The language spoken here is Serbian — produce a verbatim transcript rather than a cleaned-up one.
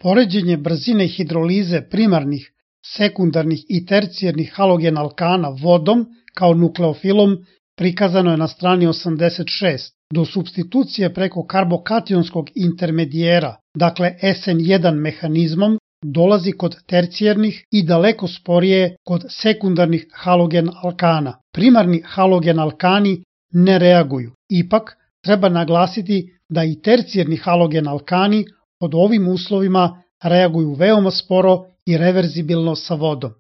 Poređenje brzine hidrolize primarnih, sekundarnih i tercijarnih halogen alkana vodom kao nukleofilom prikazano je na strani osamdeset šest. Do supstitucije preko karbokationskog intermedijera, dakle S N jedan mehanizmom, dolazi kod tercijarnih i daleko sporije kod sekundarnih halogen alkana. Primarni halogen alkani ne reaguju. Ipak, treba naglasiti da i tercijarni halogen alkani pod ovim uslovima reaguju veoma sporo i reverzibilno sa vodom.